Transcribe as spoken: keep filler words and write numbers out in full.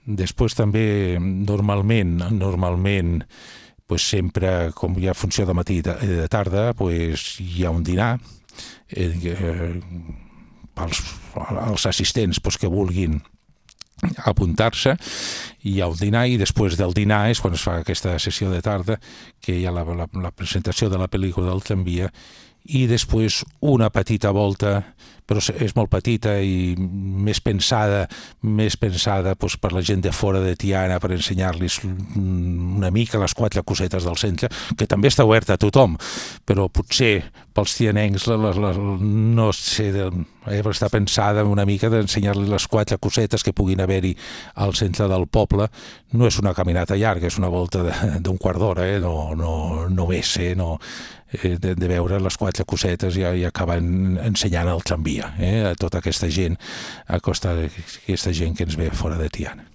Després també, normalment, normalment, pues sempre, com hi ha funció de matí i de, de tarda, pues hi ha un dinar, eh, eh, pels, els assistents pues, que vulguin apuntar-se, hi ha un dinar i després del dinar és quan es fa aquesta sessió de tarda, que hi ha la, la, la presentació de la pel·lícula del tramvia i després una petita volta, però és molt petita i més pensada, més pensada doncs, per la gent de fora de Tiana, per ensenyar-los una mica les quatre cosetes del centre, que també està oberta a tothom, però potser pels tianencs la, la, la, no sé, eh, està pensada una mica d'ensenyar-los les quatre cosetes que puguin haver-hi al centre del poble. No és una caminata llarga, és una volta d'un quart d'hora, eh? no, no, no més, eh? no, eh, de, de veure les quatre cosetes i, i acaben ensenyant el tramvia eh? a tota aquesta gent, a costa d'aquesta gent que ens ve fora de Tiana.